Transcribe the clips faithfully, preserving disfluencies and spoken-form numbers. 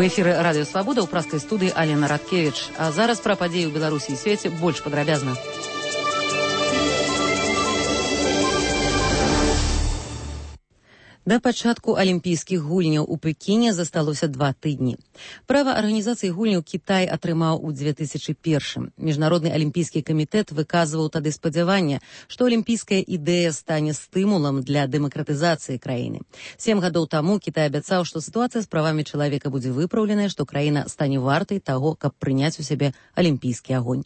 эфіры радыё Свабода ў праскай студыі Алена Радкевіч. А зараз пра падзеі ў Беларусі і свеце больш падрабязна. Да пачатку алімпійскіх гульняў у Пекіне засталося два тыдні. Права арганізацыі гульняў Кітай атрымаў у две тысячы першым. Міжнародны алімпійскі камітэт выказваў тады спадзяванне, што алімпійская ідэя стане стымулам для дэмакратызацыі краіны. Сем гадоў таму Кітай абяцаў, што сітуацыя з правамі чалавека будзе выпраўленая, што краіна стане вартай таго, каб прыняць у сябе алімпійскі агонь.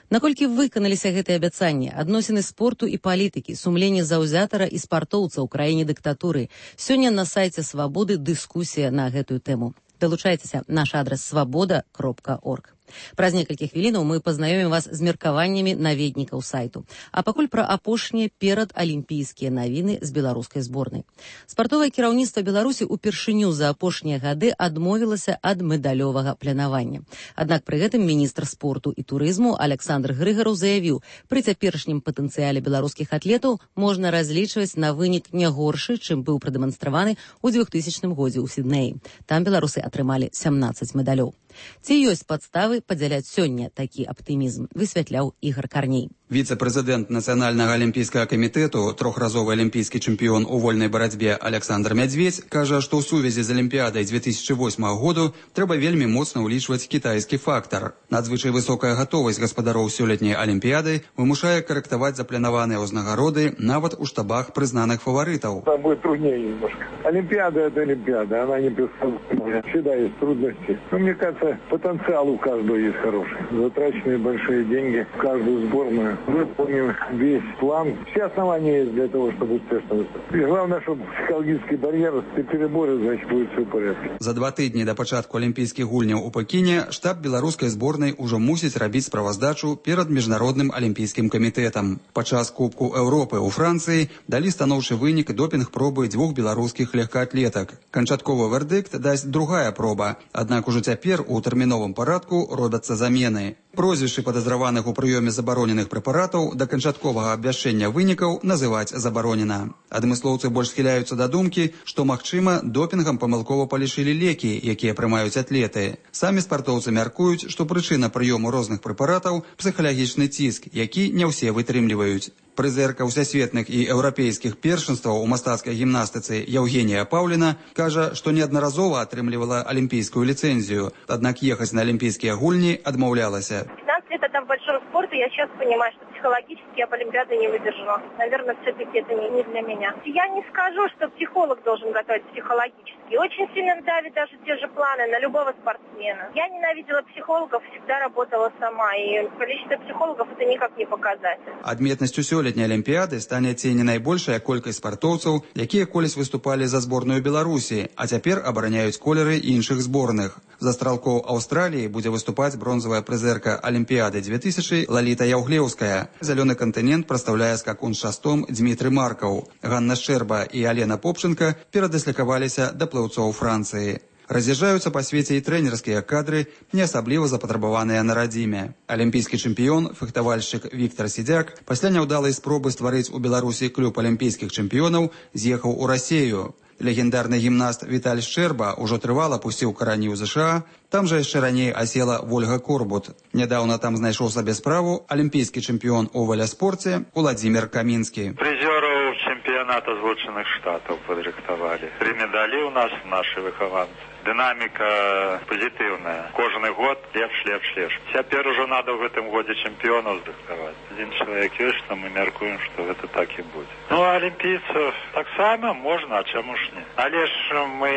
Наколькі выканаліся гэтыя абяцанні, адносіны спорту і палітыкі, сумленне заўзятара і спартоўца ў краіне дыктатуры. Сёння на сайце Свабоды дыскусія на гэтую тэму. Далучайцеся, наш адрас свабода кропка орг. Праз некалькі хвілінаў мы пазнаёмім вас з меркаваннямі наведнікаў сайту. А пакуль пра апошнія перадалімпійскія навіны з беларускай зборнай. Спартовае кіраўніцтва Беларусі упершыню за апошнія гады адмовілася ад медалёвага планавання. Аднак пры гэтым міністр спорту і турызму Александр Грыгараў заявіў, пры цяперашнім патэнцыяле беларускіх атлетаў можна разлічваць на вынік не горшы, чым быў прадэманстраваны ў двухтысячным годзе ў Сіднеі. Там беларусы атрымалі сямнаццаць медалёў. Ці ёсць падставы падзяляць сёння такі аптымізм, высвятляў Ігор Карней. Віцэ-прэзідэнт Нацыянальнага алімпійскага камітэту, трохразовы алімпійскі чэмпіён у вольнай барацьбе Александр Мядзведзь, кажа, што ў сувязі з алімпіядай две тысячы восьмага году трэба вельмі моцна ўлічваць кітайскі фактар. Надзвычай высокая гатовасць гаспадароў сёлетняй алімпіяды вымушае карэктаваць запланаваныя ўзнагароды нават у штабах прызнаных фаварытаў. Там будет труднее немножко. Олимпиада – это Олимпиада, она не предсказуемая. Всегда есть трудности. Но мне кажется, потенциал у каждого есть хороший. Затраченные большие деньги в каждую сборную. Выполним весь план. Все основания есть для того, чтобы успешно выступить. И главное, чтобы психологический барьер, ты переборешь, значит, будет все в порядке. За два тыдні да пачатку алімпійскіх гульняў у Пекіне штаб беларускай зборнай ужо мусіць рабіць справаздачу перад міжнародным алімпійскім камітэтам. Падчас Кубку Еўропы ў Францыі далі станоўчы вынік допінг-пробы дзвюх беларускіх легкаатлетак. Канчатковы вердыкт дасць другая проба, аднак ужо цяпер у тэрміновым парадку робяцца замены. Прозвішчы падазраваных у прыёме забароненых прэпаратаў да канчатковага абвяшчэння вынікаў называць забаронена. Адмыслоўцы больш схіляюцца да думкі, што, магчыма, допінгам памылкова палічылі лекі, якія прымаюць атлеты. Самі спартоўцы мяркуюць, што прычына прыёму розных прэпаратаў – псіхалагічны ціск, які не ўсе вытрымліваюць. Прызерка ўсесветных і еўрапейскіх першынстваў у мастацкай гімнастыцы Евгения Паўліна кажа, што неаднаразова атрымлівала алімпійскую ліцэнзію, аднак ехаць на алімпійскія гульні адмаўлялася. пятнадцать лет это в большом спорте, я сейчас понимаю, что психологически я в Олимпиаде не выдержу. Наверное, все-таки это не, не для меня. Я не скажу, что психолог должен готовить психологически. Очень сильно давит даже те же планы на любого спортсмена. Я ненавидела психологов, всегда работала сама, и количество психологов это никак не показатель. Адметнасцю сёлетняй алімпіяды стане ці не найбольшая колькасць спартоўцаў, якія колісь выступалі за зборную Беларусі, а цяпер абараняюць колеры іншых зборных. За стралкоў Аўстраліі будзе выступаць бронзавая прызерка алімпіяды две тысячи Лаліта Яўглеўская. Зялёны кантынент прадстаўляе скакун з шастом Дзмітрый Маркаў. Ганна Шчэрба і Алена Попчынка перадаслікаваліся да плыўцоў Францыі. Раз'язджаюцца па свеце і трэнерскія кадры, не асабліва запатрабаваныя на радзіме. Алімпійскі чэмпіён, фехтавальшчык Віктар Сідзяк пасля няўдалай спробы стварыць у Беларусі клуб алімпійскіх чэмпіёнаў з'ехаў у Расею. Легендарны гімнаст Віталь Шчэрба ўжо трывала пусціў карані ў ЗША, там жа яшчэ раней асела Вольга Корбут. Нядаўна там знайшоў сабе справу алімпійскі чэмпіён у веласпорце Уладзімір Камінскі. Прызёраў чэмпіяната Злучаных Штатаў падрыхтавалі. Тры медалі ў нас нашы выхаванцы. Дынаміка пазітыўная. Кожны год лепш, лепш, лепш. Цяпер ужо надо ў гэтым годзе чэмпіёнаў здыхтаваць. Адзін чалавек ёсць, то мы мяркуем, што гэта так і будзе. Ну, а алімпійцаў таксама можна, а чаму ж не? Але ж мы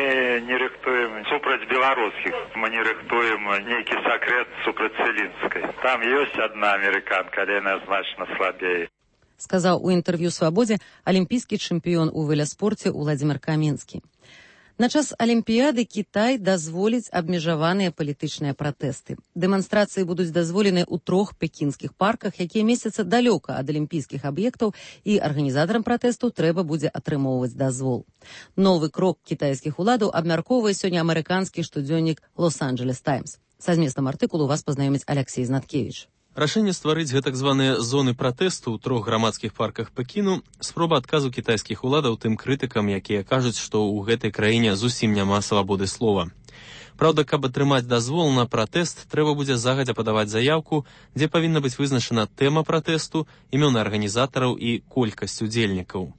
не рыхтуем супраць беларускіх. Мы не рыхтуем нейкі сакрэт супраць Целінскай. Там ёсць адна амерыканка, але яна значна слабей. Сказаў у інтэрв'ю «Свабодзе» алімпійскі чэмпіён у веласпорце Уладзімір Камінскі. На час алімпіяды Кітай дазволіць абмежаваныя палітычныя пратэсты. Дэманстрацыі будуць дазволены ў трох пекінскіх парках, якія месяцца далёка ад алімпійскіх аб'ектаў, і арганізатарам пратэсту трэба будзе атрымоўваць дазвол. Новы крок кітайскіх уладаў абмяркоўвае сёння амерыканскі штодзённік «Лос-Анджелес Таймс». Са зместам артыкулу вас пазнаёміць Алексей Знаткевіч. Рашэнне стварыць гэтак званыя зоны пратэсту ў трох грамадскіх парках Пекіну – спроба адказу кітайскіх уладаў тым крытыкам, якія кажуць, што ў гэтай краіне зусім няма свабоды слова. Праўда, каб атрымаць дазвол на пратэст, трэба будзе загадзя падаваць заяўку, дзе павінна быць вызначана тэма пратэсту, імёны арганізатараў і колькасць удзельнікаў.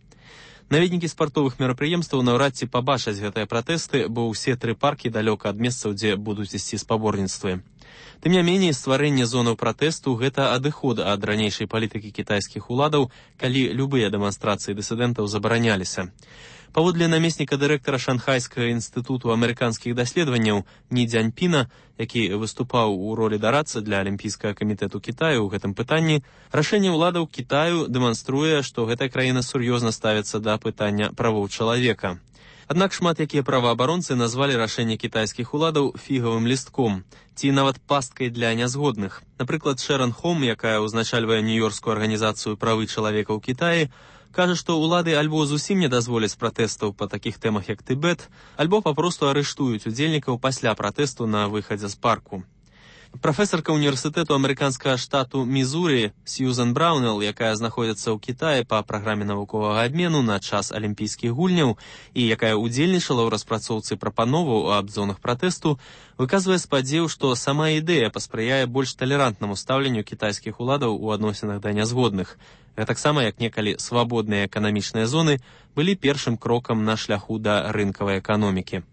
Наведнікі спартовых мерапрыемстваў наўрад ці пабачаць гэтыя пратэсты, бо ўсе тры паркі далёка ад месцаў, дзе будуць ісці спаборніцтвы. Тым не меней, стварэнне зонаў пратэсту – гэта адыход ад ранейшай палітыкі кітайскіх уладаў, калі любыя дэманстрацыі дысідэнтаў забараняліся. Паводле намесніка дырэктара Шанхайскага інстытуту амерыканскіх даследаванняў Ні Дзяньпіна, які выступаў у ролі дарадцы для Алімпійскага камітэту Кітаю ў гэтым пытанні, рашэнне ўладаў Кітаю дэманструе, што гэтая краіна сур'ёзна ставіцца да пытання правоў чалавека. Аднак шмат якія праваабаронцы назвалі рашэнне кітайскіх уладаў фігавым лістком, ці нават пасткай для нязгодных. Напрыклад, Шэрон Хом, якая ўзначальвае нью-йоркскую арганізацыю правы чалавека ў Кітаі, кажа, што ўлады альбо зусім не дазволяць пратэстаў па такіх тэмах, як Тыбет, альбо папросту арыштуюць удзельнікаў пасля пратэсту на выхадзе з парку. Прафесарка універсітэту амерыканскага штату Мізурі Сьюзан Браунелл, якая знаходзіцца ў Кітаі па праграме навуковага абмену на час алімпійскіх гульняў і якая ўдзельнічала ў распрацоўцы прапановаў аб зонах пратэсту, выказвае спадзеў, што сама ідэя паспрыяе больш талерантнаму стаўленню кітайскіх уладаў у адносінах да нязгодных. Гэтаксама, як некалі свабодныя эканамічныя зоны былі першым крокам на шляху да рынкавай эканомікі.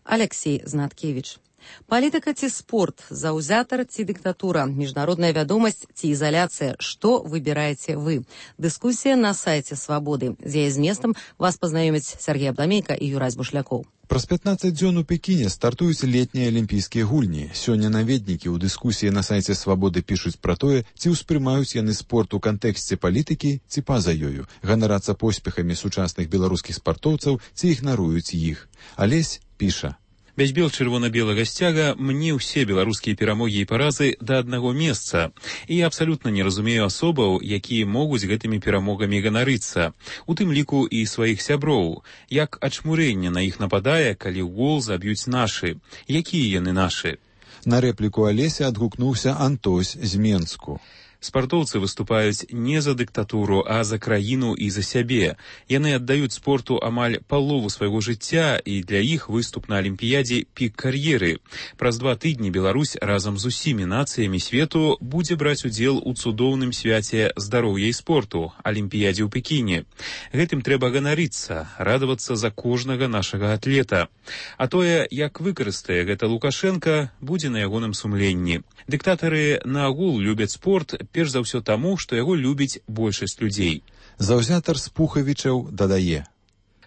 Алексей Знаткевич. Палітыка ці спорт, заўзятар ці дыктатура, міжнародная вядомасць ці ізаляцыя, што выбіраеце вы? Дыскусія на сайце Свабоды. З яе зместам вас пазнаёмяць Сергей Абламейка і Юрась Бушлякоў. Праз пятнаццаць дзён у Пекіне стартуюць летнія алімпійскія гульні. Сёння наведнікі ў дыскусіі на сайце Свабоды пішуць пра тое, ці ўспрымаюць яны спорт у кантэксце палітыкі, ці па-за ёю, ганарацца поспехамі сучасных беларускіх спартоўцаў, ці ігнаруюць іх. Алесь піша. Без бел-чырвона-белага сцяга мне ўсе беларускія перамогі і паразы да аднаго месца. І я абсалютна не разумею асобаў, якія могуць гэтымі перамогамі ганарыцца. У тым ліку і сваіх сяброў. Як ачмурэнне на іх нападае, калі ў гол заб'юць нашы. Якія яны нашы? На рэпліку Алеся адгукнуўся Антось з Менску. Спартоўцы выступаюць не за дыктатуру, а за краіну і за сябе. Яны аддаюць спорту амаль палову свайго жыцця, і для іх выступ на алімпіядзе пік кар'еры. Праз два тыдні Беларусь разам з усімі нацыямі свету будзе браць удзел у цудоўным свяце здароўя і спорту, алімпіядзе ў Пекіне. Гэтым трэба ганарыцца, радавацца за кожнага нашага атлета. А тое, як выкарыстае гэта Лукашенка, будзе на ягоным сумленні. Дыктатары наогул любяць спорт, перш за ўсё таму, што яго любіць большасць людзей. Заўзятар Спухавічаў дадае.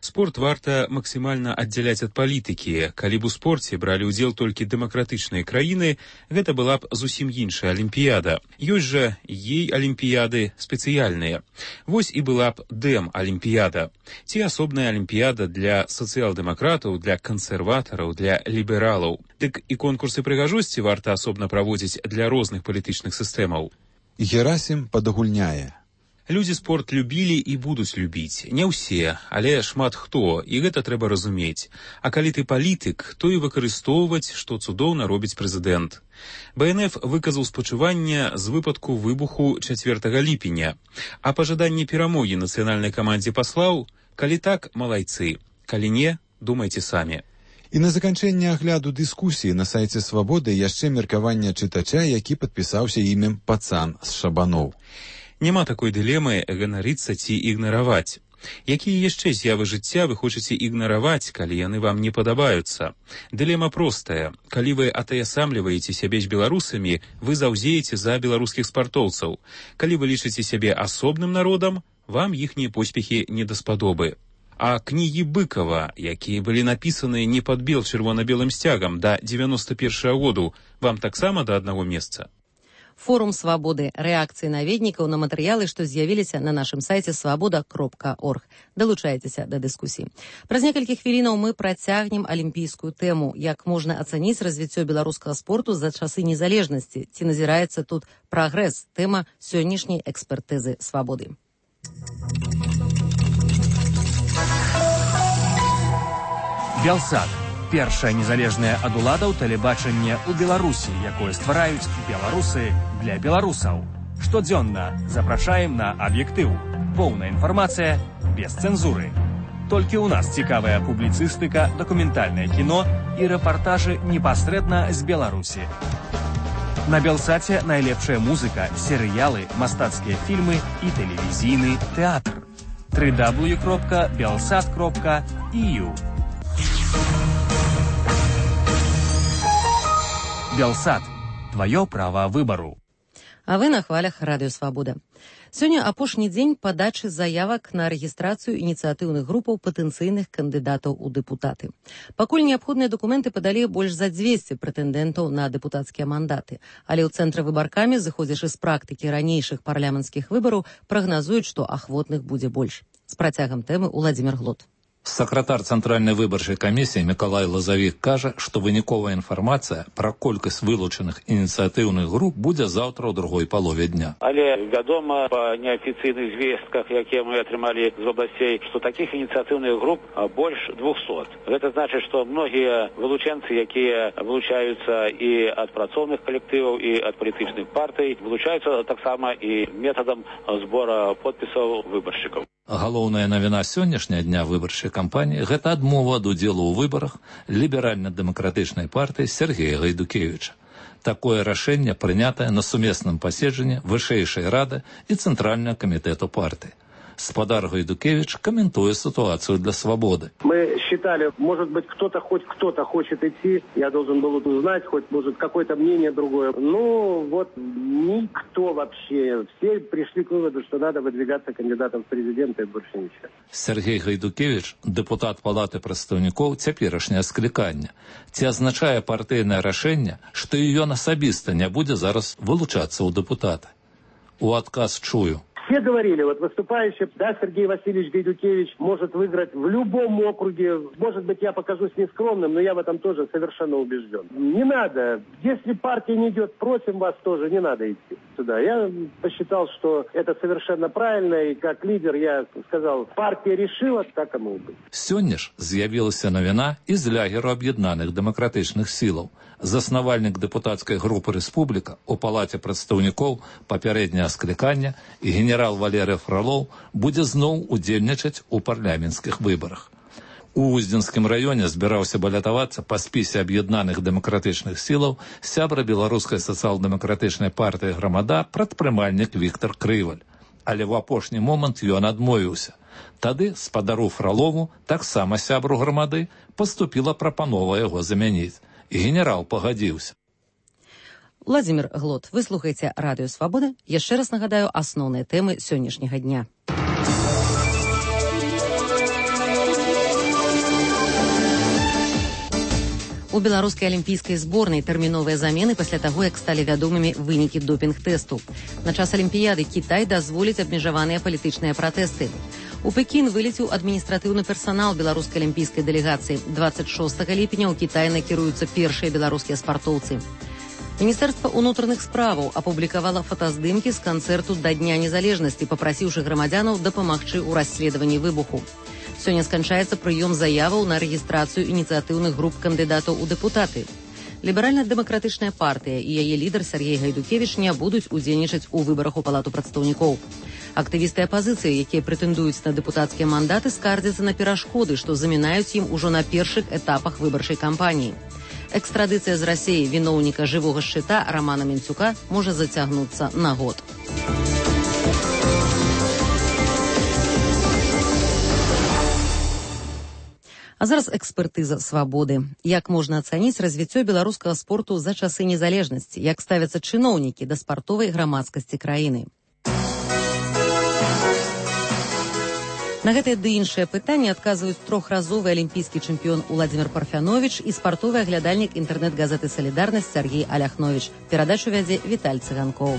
Спорт варта максімальна аддзяляць ад палітыкі. Калі б у спорце бралі ўдзел толькі дэмакратычныя краіны, гэта была б зусім іншая алімпіяда. Ёсць жа ей алімпіяды спецыяльныя. Вось і была б дэм-алімпіяда. Ці асобная алімпіяда для сацыял-дэмакратаў, для кансерватараў, для лібералаў. Дык і конкурсы прыгажосці варта асобна праводзіць для розных палітычных сістэмаў. Герасім падагульняе. Людзі спорт любілі і будуць любіць. Не ўсе, але шмат хто, і гэта трэба разумець. А калі ты палітык, то і выкарыстоўваць, што цудоўна робіць прэзідэнт. Бэ эн эф выказаў спачуванне з выпадку выбуху чацвёртага ліпеня. А пажаданне перамогі нацыянальнай камандзе паслаў? Калі так, малайцы. Калі не, думайце самі. І на заканчэнне агляду дыскусіі на сайце Свабоды яшчэ меркаванне чытача, які падпісаўся імем Пацан з Шабаноў. Няма такой дылемы ганарыцца ці ігнараваць. Якія яшчэ з'явы жыцця вы хочаце ігнараваць, калі яны вам не падабаюцца? Дылема простая. Калі вы атаясамліваеце сябе з беларусамі, вы заўзееце за беларускіх спартоўцаў. Калі вы лічыце сябе асобным народам, вам іхнія поспехі не даспадобы. А кнігі Быкова, якія былі напісаны не пад бел-чырвона-белым сцягам да дзевяноста першага году, вам таксама да аднаго месца? Форум Свабоды. Рэакцыі наведнікаў на матэрыялы, што з'явіліся на нашым сайце свабода кропка орг. Далучайцеся да дыскусіі. Праз некалькі хвілінаў мы працягнем алімпійскую тэму. Як можна ацаніць развіццё беларускага спорту за часы незалежнасці? Ці назіраецца тут прагрэс? Тэма сённяшняй экспертызы Свабоды. Белсат. Першае незалежнае ад уладаў тэлебачанне ў Беларусі, якое ствараюць беларусы для беларусаў. Штодзённа запрашаем на аб'ектыў. Поўная інфармацыя без цэнзуры. Толькі ў нас цікавая публіцыстыка, дакументальнае кіно і рэпартажы непасрэдна з Беларусі. На Белсаце найлепшая музыка, серыялы, мастацкія фільмы і тэлевізійны тэатр. дабл ю дабл ю дабл ю кропка белсат кропка і ю. Белсат. Твоё права выбару. А вы на хвалях Радыё Свабода. Сёння апошні дзень падачы заявак на рэгістрацыю ініцыятыўных групаў патэнцыйных кандыдатаў у дэпутаты. Пакуль неабходныя дакументы падалі больш за дзвесце прэтэндэнтаў на дэпутацкія мандаты, але ў цэнтры выбаркамі, зыходзячы з практыкі ранейшых парламенцкіх выбараў, прагназуюць, што ахвотных будзе больш. З працягам тэмы Уладзімір Глот. Сакратар Цэнтральнай выбарчай камісіі Мікалай Лазавік кажа, што выніковая інфармацыя пра колькасць вылучаных ініцыятыўных груп будзе заўтра ў другой палове дня. Але вядома па неафіцыйных звестках, якія мы атрымалі з областей, што такіх ініцыятыўных груп больш двухсот. Гэта значыць, што многія вылучэнцы, якія вылучаюцца і ад працоўных калектываў, і ад палітычных партый, вылучаюцца таксама і метадам збора подпісаў выбаршчыкаў. Галоўная навіна сённяшняга дня выбарчай кампаніі – гэта адмова ад удзелу ў выбарах ліберальна-дэмакратычнай партыі Сергея Гайдукевіча. Такое рашэнне прынятае на сумесным паседжанні Вышэйшай рады і Цэнтральнага камітэту партыі. Спадар Гайдукевич комментуя ситуацию для свободы. Мы считали, может быть, кто-то, хоть кто-то хочет идти, я должен был узнать, хоть, может, какое-то мнение другое. Ну, вот никто вообще. Все пришли к выводу, что надо выдвигаться кандидатом в президенты и больше ничего. Сергей Гайдукевич, депутат Палаты прадстаўнікоў цяперашняе склікання. Ці азначае партыйнае рашэнне, што ён асабіста не будзе зараз вылучацца ў дэпутаты? У адказ чую. Все говорили, вот выступающий, да, Сергей Васильевич Гайдукевич может выиграть в любом округе. Может быть, я покажусь нескромным, но я в этом тоже совершенно убежден. Не надо. Если партия не идет, просим вас тоже, не надо идти сюда. Я посчитал, что это совершенно правильно, и как лидер я сказал, партия решила, так оно и будет. Сёння ж з'явілася навіна из лягеру аб'яднаных дэмакратычных сілаў. Заснавальнік дэпутацкай групы «Рэспубліка» у Палаце прадстаўнікоў папярэдняга склікання і генерал Валерый Фролов будзе зноў удзельнічаць у парламенцкіх выбарах. У Уздзенскім раёне збіраўся балятавацца па спісе аб'яднаных дэмакратычных сілаў сябра беларускай сацыял-дэмакратычнай партыі «Грамада» прадпрымальнік Віктор Крываль. Але ў апошні момант ён адмовіўся. Тады спадару Фролову, таксама сябру «Грамады», паступіла прапанова яго замяніць. І генерал пагадзіўся. Владзімір Глот, вы слухаеце Радыё Свабода. Яшчэ раз нагадаю асноўныя тэмы сённяшняга дня. У беларускай алімпійскай зборнай тэрміновыя замены пасля таго, як сталі вядомымі вынікі допінг-тэсту. На час алімпіяды Кітай дазволіць абмежаваныя палітычныя пратэсты. У Пекін вылеціў адміністратыўны персанал беларускай алімпійскай дэлегацыі. дваццаць шостага ліпеня ў Кітай накіруюцца першыя беларускія спартоўцы. Міністэрства ўнутраных справаў апублікавала фотаздымкі з канцэрту да Дня незалежнасці, папрасіўшы грамадзянаў дапамагчы ў расследаванні выбуху. Сёння сканчаецца прыём заяваў на рэгістрацыю ініцыятыўных груп кандыдатаў у дэпутаты. Ліберальна-дэмакратычная партыя і яе лідар Сергей Гайдукевіч не будуць удзельнічаць у выбарах у Палату прадстаўнікоў. Актывісты апазіцыі, якія прэтэндуюць на дэпутацкія мандаты, скардзяцца на перашкоды, што замінаюць ім ужо на першых этапах выбарчай кампаніі. Экстрадыцыя з Расіі віноўніка жывога шчыта Рамана Менцюка можа зацягнуцца на год. А зараз экспертыза свабоды. Як можна ацаніць развіццё беларускага спорту за часы незалежнасці? Як ставяцца чыноўнікі да спартовай грамадскасці краіны? На гэтае ды іншае пытанне адказваюць трохразовы алімпійскі чэмпіён Уладзімір Парфяновіч і спартовы аглядальнік інтэрнэт-газеты «Салідарнасць» Сергей Аляхновіч. Перадачу вядзе Віталь Цыганкоў.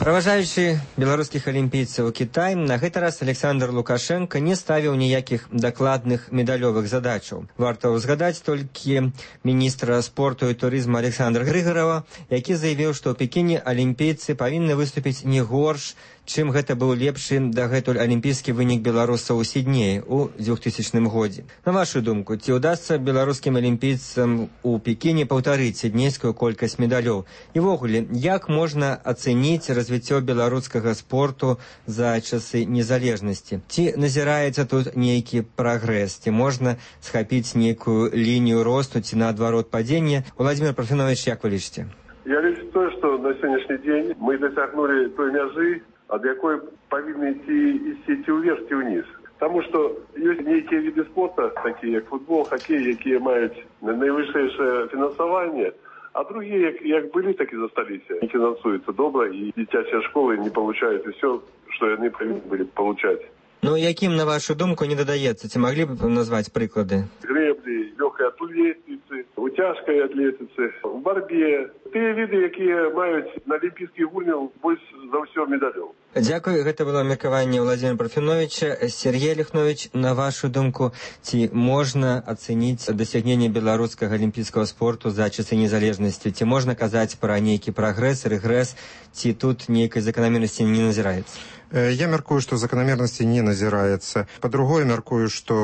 Праважаючы беларускіх алімпійцаў у Кітай, на гэты раз Александр Лукашенко не ставіў ніякіх дакладных медалёвых задачаў. Варта ўзгадаць толькі міністра спорту і турызму Александра Грыгарова, які заявіў, што ў Пекіне алімпійцы павінны выступіць не горш, чым гэта быў лепшы дагэтуль алімпійскі вынік беларусаў у Сіднеі ў двухтысячным годзе. На вашу думку, ці ўдасца беларускім алімпійцам у Пекіне паўтарыць сіднейскую колькасць медалёў? І ввогуле, як можна ацэніць развіццё развіццё беларускага спорту за часы незалежнасці. Ці назіраецца тут нейкі прагрэс? Ці можна схапіць нейкую лінію росту, ці наадварот падзення? Владимир Парфенович, як вы лічыце? Я лічу то, што на сённяшні дзень мы дасягнулі той мяжы, ад якой павінны ісці ісці ўверх ці ўніз. Таму што ёсць нейкія віды спорта, такія як футбол, хакей, якія маюць найвышэйшае фінансаванне, а другие, як, як былі, так і засталіся. Не фінансуюцца добра, і дзіцячыя школы не получаюць усё, што яны павінны былі получаць. Ну, якім, на вашу думку, не дадаецца? Ці маглі б назваць прыклады? Грэблі, лёгкай атлетыцы, у цяжкай атлетыцы, у барбе. Тыя віды, якія маюць на алімпійскіх гульнях больш за ўсё медалёў. Дзякуй, гэта было меркаванне Владимира Парфеновича. Сергей Лихнович, на вашу думку, ці можна ацэніць дасягненне беларускага алімпійскага спорту за часы незалежнасці? Ці можна казаць пра нейкі прагрэс, рэгрэс, ці тут нейкай заканамернасці не назіраецца? Я мяркую, што заканамернасці не назіраецца. Па-другое, мяркую, што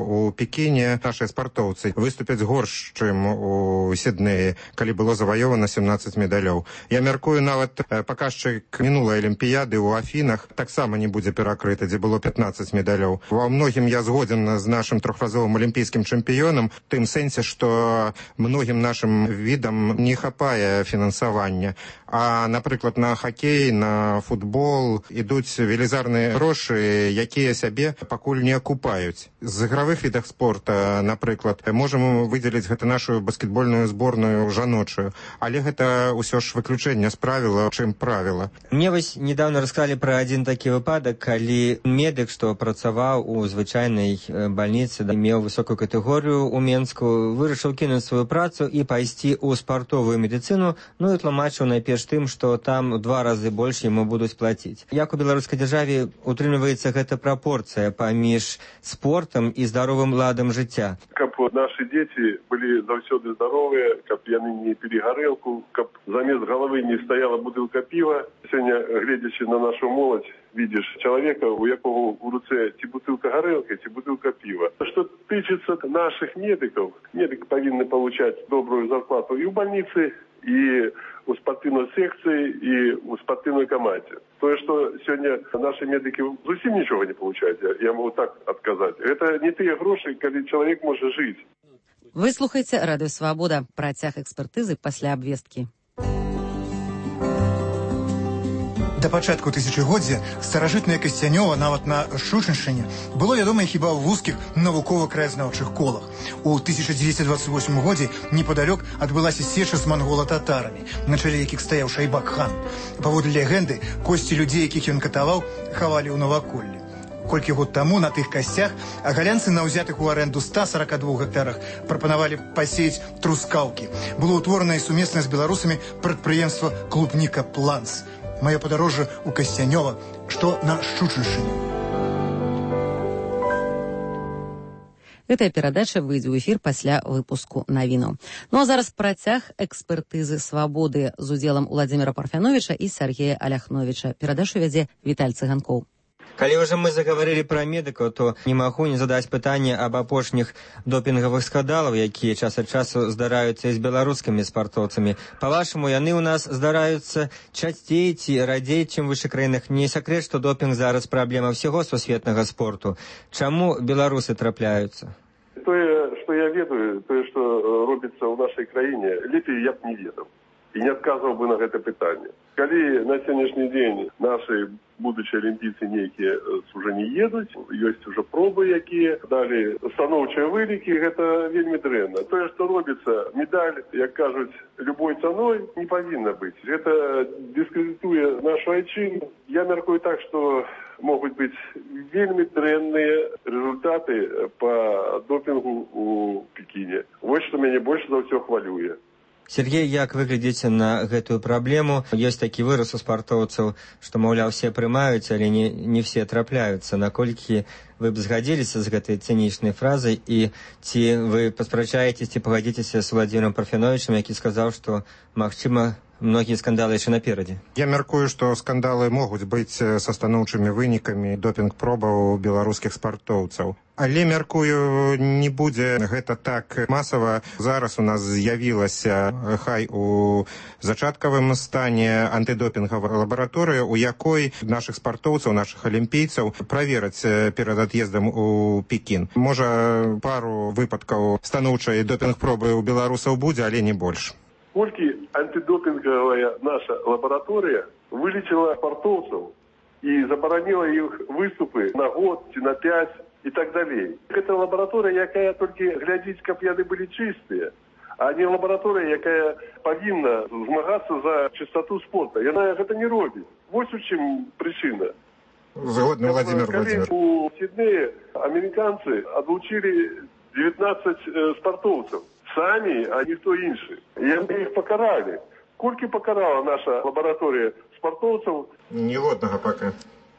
у Пекіне нашыя спартоўцы выступяць горш, чым у Сіднеі, калі было заваёвана сямнаццаць медалёў. Я мяркую, нават паказчык мінулай алімпіяды ў Афінах таксама не будзе перакрыта, дзе было пятнаццаць медалёў. Ва многім я згодзен з нашым трохразовым алімпійскім чэмпіёнам, тым сэнсе, што многім нашым відам не хапае фінансавання. А, напрыклад, на хакей, на футбол ідуць велізарныя грошы, якія сябе пакуль не акупаюць. З ігравых відах спорта, напрыклад, можам выдзеліць гэта нашу баскетбольную зборную жаночую, але гэта ўсё ж выключэнне з правіла, чым правіла. Мне вось недавно расказалі пра адзін такі выпадак, калі медык, што працаваў у звычайнай бальніцы, меў высокую катэгорыю ў Менску, вырашыў кінуць сваю працу і пайсці ў спартовую медыцыну, ну і тлумачыў найперш тым, што там у два разы больш яму будуць плаціць. Як у беларускай дзяржаве утрымліваецца гэта прапорцыя паміж спортам і здаровым ладам жыцця? Каб нашы дзеці былі заўсёды здаровыя, каб яны не пілі гарэлку, каб замест галавы не стаяла бутылка піва. Сёння, гледзячы на нашу моладзь, видишь человека, у якого у руце ці бутылка гарэлкі, ці бутылка пива. Что тычыцца наших медиков, медики повинны получать добрую зарплату и в больнице, и у спортивной секции, и у спортивной команде. То, что сегодня наши медики зусім ничего не получают, я, я могу так отказать. Это не те гроши, когда человек может жить. Вы слухаеце Радыё Свабода. Працяг экспертызы пасля абвесткі. Да пачатку тысячагоддзя старажытнае Касцянёва нават на Шучыншчыне было вядома хіба ў вузкіх навукова-краязнаўчых колах. У тысяча дзевяцьсот двадцать восьмым годзе непадалёк адбылася сеча з мангола-татарамі, на чале якіх стаяў Шайбак-хан. Паводле легенды, косці людзей, якіх ён катаваў, хавалі ў наваколлі. Колькі год таму на тых касцях агалянцы на ўзятых у арэнду ста сорока двух гектарах прапанавалі пасеяць трускаўкі. Было ўтворана і сумесна з беларусамі прадпрыемства «Клубніка Планс». Мое подорожжа у Касцянёва, что на Шучыншчыне. Гэтая перадача выйдзе ў эфір пасля выпуску навінаў. Ну а зараз працяг экспертызы свабоды з удзелам Владимира Парфяновича і Сергея Аляхновича. Перадачу вядзе Віталь Цыганкоў. Калі ўжо мы загаварылі пра медыкаў, то не магу не задаць пытанне аб апошніх допінгавых скандалаў, якія час ад часу здараюцца і з беларускімі спартоўцамі. Па-вашаму, яны ў нас здараюцца часцей ці радзей, чым у вышэй краінах? Не сакрэт, што допінг зараз праблема ўсяго сусветнага спорту. Чаму беларусы трапляюцца? Тое, што я ведаю, тое, што робіцца ў нашай краіне, лепей я б не ведаў і не адказваў бы на гэта пытанне. Калі на сённяшні дзень нашы будучыя алімпійцы нейкія уже не едуць, ёсць уже пробы, якія далі станоўчыя вынікі, гэта вельмі дрэнна. Тое, што робіцца, медаль, як кажуць, любой цаной не павінна быць. Гэта дыскрэдытуе нашу айчыну. Я мяркую так, што могуць быць вельмі дрэнныя результаты па допінгу у Пекіне. Вось што мяне больш за ўсё хвалюе. Сергей, як вы глядзіце на гэтую праблему? Ёсць такі выраз у спартоўцаў, што, маўляў, все прымаюць, але не, не все трапляюцца. Наколькі вы б згадзіліся з гэтай цынічнай фразай, і ці вы паспрачаецесь, ці пагадзіцеся з Владзімірам Парфяновічам, які сказаў, што, магчыма, многія скандалы яшчэ наперадзе? Я мяркую, што скандалы могуць быць са станоўчымі вынікамі допінг-пробаў беларускіх спартоўцаў. Але, мяркую, не будзе гэта так масава. Зараз у нас з'явілася, хай у зачаткавым стане, антыдопінгавая лабараторыя, у якой нашых спартоўцаў, нашых алімпійцаў правераць перад ад'ездам у Пекін. Можа, пару выпадкаў станоўчай допінг-пробы ў беларусаў будзе, але не больш. Колькі антидопинговая наша лаборатория вылечила спортовцев и заборонила их выступы на год, на пять и так далее. Это лаборатория, якая только глядеть, как яны были чистые, а не лаборатория, якая повинна змагаться за чистоту спорта. И она это не робит. Вот в чем причина. Згодный, Владимир Владимирович. У Сиднея американцы отлучили девятнадцать э, спортовцев. Сами, а ніхто інший. І ми їх покарали. Колькі покарала наша лабораторія спартовців? Ні одного поки.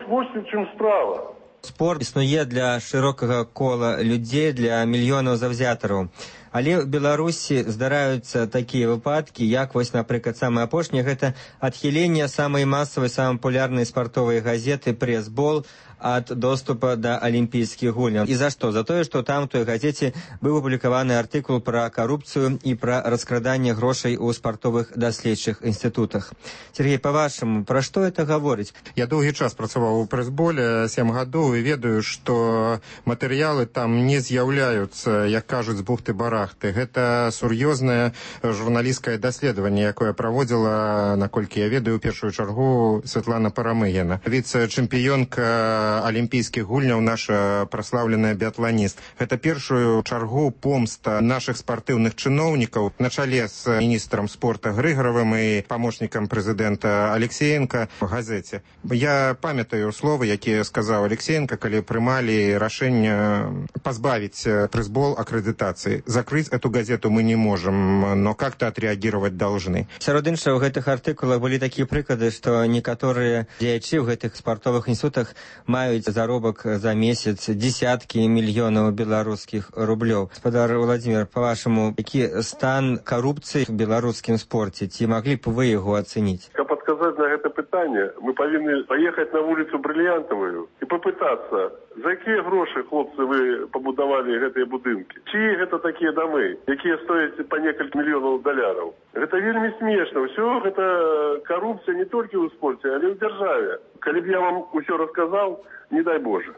Ось в чим справа. Спорт існуе для широкага кола людзей, для мільёнаў заўзятараў. Але ў Беларусі здараюцца такія выпадкі, як вось, напрыклад, самае апошняе, гэта адхіленне самай масавай, самай папулярнай спартовай газеты «Пресс-бол» ад доступа да алімпійскіх гульняў. І за што? За тое, што там у той газеце быў апублікаваны артыкул пра карупцыю і пра раскраданне грошай у спартовых даследчых інстытутах. Сергей, па-вашаму, пра што это гаворыць? Я доўгі час працаваў у «Прэс-боле», сем гадоў, і ведаю, што матэрыялы там не з'яўляюцца, як кажуць, з бухты-барахты. Гэта сур'ёзнае журналісцкае даследаванне, якое праводзіла, наколькі я ведаю, у першую чаргу Святлана Парамыгіна. Віцэ-чэмпіёнка алімпійскіх гульняў, наша праслаўленая біятланіст. Гэта першую чаргу помста нашых спартыўных чыноўнікаў на чале з міністрам спорта Грыгаравым і памочнікам прэзідэнта Алексеенка в газеце. Я памятаю словы, якія сказаў Алексеенка, калі прымалі рашэнне пазбавіць Пресс-бол акрэдытацыі. Закрыть эту газету мы не можем, но как-то отреагировать должны. Сярод іншага, у гэтых артыкулах былі такія прыклады, што некаторыя дзеячы ў гэтых спартовых інстытутах маюць заробак за месяц десяткі мільёнаў беларускіх рублёў. Гаспадар Владимир, па-вашаму, які стан карупцыі в беларускім спорце? Ці маглі б вы яго ацэніць? Каб адказаць на гэта пытанне, мы павінны паехаць на вуліцу Брыльянтавую і папытацца, за якія грошы, хлопцы, вы пабудавалі гэтыя будынкі? Чые гэта такія дамы, якія стояць па некалькі мільёнаў даляраў? Гэта вельмі смешна. Ўсё гэта карупцыя не толькі ў спорце, але ў дзяржаве. Калі б я вам усё расказаў, не дай Боже.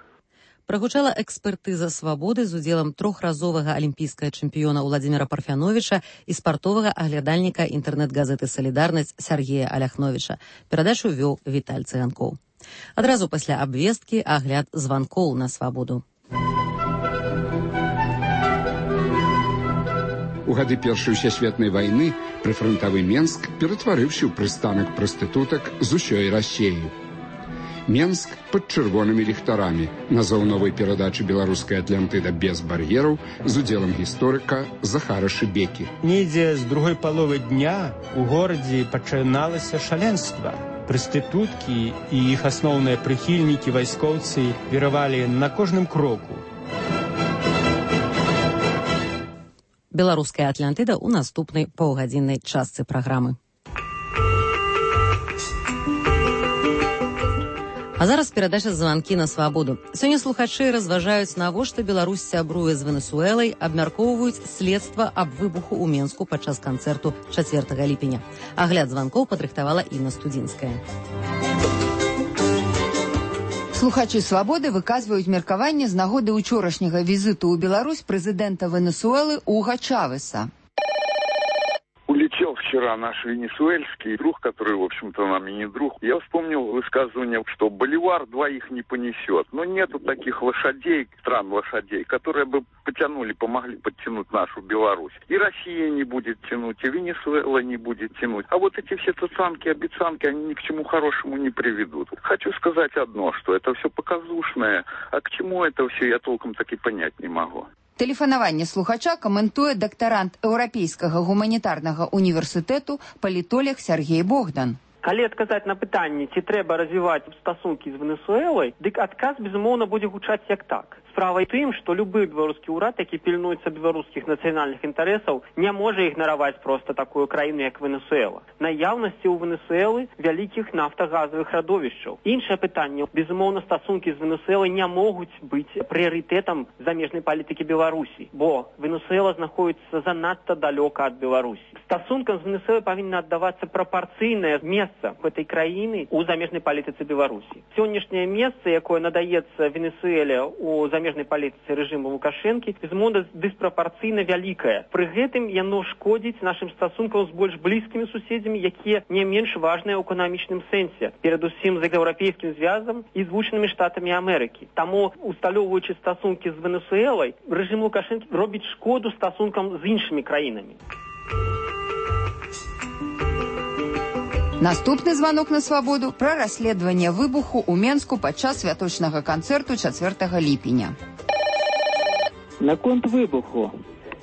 Прагучала экспертыза «Свабоды» з удзелам трохразовага алімпійскага чэмпіёна Владзіміра Парфяновіча і спартовага аглядальніка інтэрнэт-газеты «Салідарнасць» Сергея Аляхновіча. Перадачу вёў Віталь Цыганкоў. Адразу пасля абвесткі агляд званкоў на «Свабоду». У гады Першай сусветнай вайны прыфрантавы Менск ператварыўся ў прыстанак прастытутак з усёй Расіі. Менск пад чырвонымі ліхтарамі. Назоў новай перадачы беларускай Атлантыда без бар'ераў з удзелам гісторыка Захара Шыбекі. Недзе з другой паловы дня у горадзе пачыналася шаленства. Прастытуткі і іх асноўныя прыхільнікі вайскоўцы віравалі на кожным кроку. Беларуская Атлантыда ў наступнай паўгадзіннай частцы праграмы. А зараз перадача «Званкі на свабоду». Сёння слухачы разважаюць, навошта Беларусь сябруе з Венесуэлай, абмяркоўваюць следства аб выбуху ў Менску падчас канцэрту чацвёртага ліпеня. Агляд званкоў падрыхтавала Інна Студзінская. Слухачы «Свабоды» выказваюць меркаванне з нагоды учорашняга візіту ў Беларусь прэзідэнта Венесуэлы Уго Чавеса. Улетел вчера наш венесуэльский друг, который, в общем-то, нам и не друг. Я вспомнил высказывание, что боливар двоих не понесет. Но нету таких лошадей, стран лошадей, которые бы потянули, помогли подтянуть нашу Беларусь. И Россия не будет тянуть, и Венесуэла не будет тянуть. А вот эти все цацанки, обещанки, они ни к чему хорошему не приведут. Хочу сказать одно, что это все показушное, а к чему это все я толком так и понять не могу. Тэлефанаванне слухача каментуе дактарант Еўрапейскага гуманітарнага універсітэту палітолог Сергей Богдан. Калі адказаць на пытанне, ці трэба развіваць стасункі з Венесуэлай, дык адказ, безумоўна, будзе гучаць як так. Справа ў тым, што любы беларускі ўрад, які пільнуецца беларускіх нацыянальных інтарэсаў, не можа ігнараваць проста такую краіну, як Венесуэла. Наяўнасці ў Венесуэлы вялікіх нафтагазавых радовішчаў. Іншае пытанне, безумоўна, стасункі з Венесуэлай не могуць быць прыярытэтам замежнай палітыкі Беларусі, бо Венесуэла знаходіцца занадта далёка ад Беларусі. Стасункам з Венесуэлай павінна аддавацца прапарцыйнае месца гэтай краіны ў замежнай палітыцы Беларусі. Сённяшняе месца, якое надаецца Венесуэле ў замежнай палітыцы рэжыму Лукашэнкі, безумоўна, дыспрапарцыйна вялікае. Пры гэтым яно шкодзіць нашым стасункам з больш блізкімі суседзямі, якія не менш важныя ў эканамічным сэнсе, перадусім з еўрапейскім звязам і Злучанымі Штатамі Амерыкі. Таму, усталёўваючы стасункі з Венесуэлай, рэжым Лукашэнкі робіць шкоду стасункам з іншымі краінамі. Наступны званок на свабоду пра расследаванне выбуху ў Менску падчас святочнага канцэрту чацвёртага ліпеня. Наконт выбуху.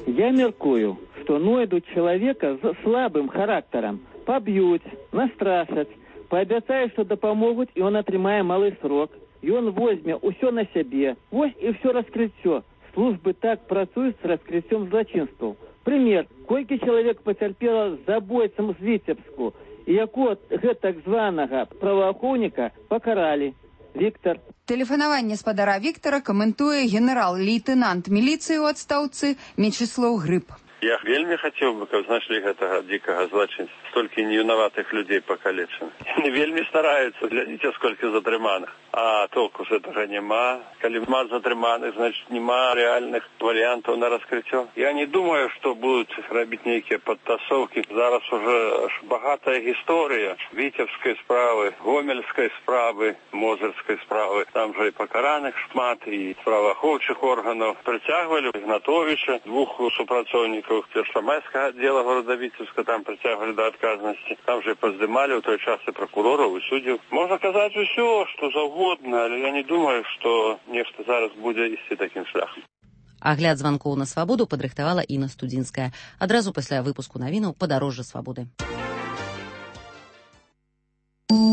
Я мяркую, што знойдуць чалавека з слабым характарам, паб'юць, настрашаць, паабяцаюць, што дапамогуць, і ён атрымае малы срок. Ён возьме ўсё на сябе. Вось і ўсё раскрыццё. Службы так працуюць з раскрыццём злачынстваў. Прымер, колькі чалавек пацярпела з забойцам з Віцебску, і якого гэтак званага праваахоўніка пакаралі. Віктор. Тэлефанаванне спадара Віктара каментуе генерал-лейтэнант міліцыі ў адстаўцы Мечыслаў Грыб. Я вельмі хацеў бы, каб знайшлі гэтага дзікага злачынца. Столькі невінаватых людзей пакалечаных. Яны вельмі стараюцца, глядзіце, сколькі затрыманых. А толку з гэтага няма. Калі няма затрыманых, значит, няма рэальных варыянтаў на раскрыццё. Я не думаю, што будуць рабіць нейкія падтасоўкі. Зараз уже багатая гісторыя Віцебскай справы, Гомельскай справы, Мозырскай справы. Там жа і пакараных шмат, і праваахоўчых органаў. Прыцягвалі Ігнатовіча, двух супрацоўнікаў Першамайскага аддзела горада Віцебска, там прыцягвалі да адказнасці. Там же паздымалі ў той час і пракурораў, і суддзяў. Можна казаць усё, што заўгодна, але я не думаю, што нешта зараз будзе ісці такім шляхам. Агляд званкоў на свабоду падрыхтавала Інна Студзінская. Адразу пасля выпуску навінаў «Падарожжа свабоды».